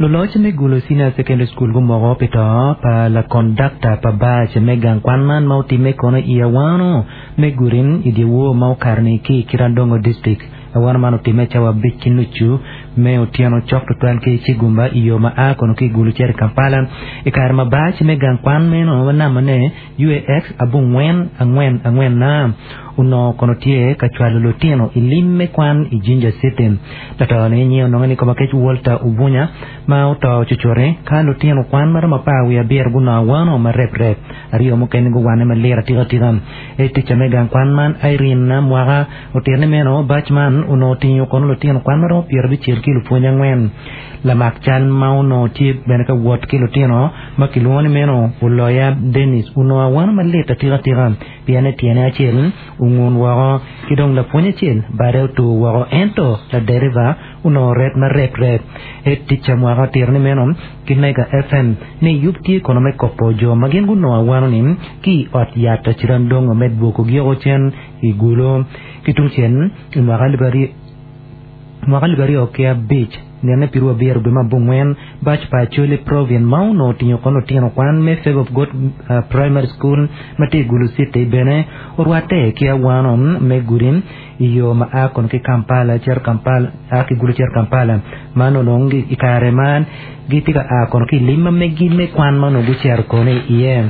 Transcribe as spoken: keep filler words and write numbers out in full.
Loloc me Gulu Senior Secondary School gumoko pi to pa lakondakta pa bac me gang kwan man ma otimme kono i awano me gurin i dyewor ma okato-ni ki i Kirandongo District. Awano man otimme cawa abic ki nucu me otyeno cok tutwal ki Cigumba i yo ma a kono ki i Gulu cito i Kampala. I kare ma bac me gang kwan meno ma namane U A X abongwen angwen angwen na onongo kono tye ka cwalo lutino i lim me kwan i Jinja City. Lato-ni nyinge onongo ni Komakec Walter Obunya ma oto cucuti ka lutino kwan ma romo apar wiye abiro gunongo awano ma reprep aryo mukene guwane malir atikatika. E ticca me gang kwan man Irene Mwaka otito ni meno bac man onongo otingo kono lutino kwan ma romo pyerabicel ki lupwony angwen. Lamak cal ma onongo tye bene ka wot ki lutino ma kilwongo ni meno Oloya Dennis onongo awano malit atikatika pien tyene acel ongun woko ki dong lapwony acel bade otur woko ento laderiva onongo ret ma reprep. E ticca Mwaka otito ni meno ki Mega F M ni yub tye kono me kopo jo ma gin gunongo awano-ni ki i ot yat Cirandongo me dwokogi oko cen i Gulu. Ki tung cen i mwaka alip aryo mwaka alip aryo ki abic nene piru abiro dwe me abongwen bac pa Acholi Province ma onongo otingo kono lutino kwan me Favor of God uh, Primary School ma tye i Gulu City bene orwatte ki awano me gudi i yo ma a kono ki Kampala cito Kampala a ki Gulu cito Kampala man onongo i kare man gitye ka a kono ki i lim ma megi me kwan ma onongo gucito kono iye.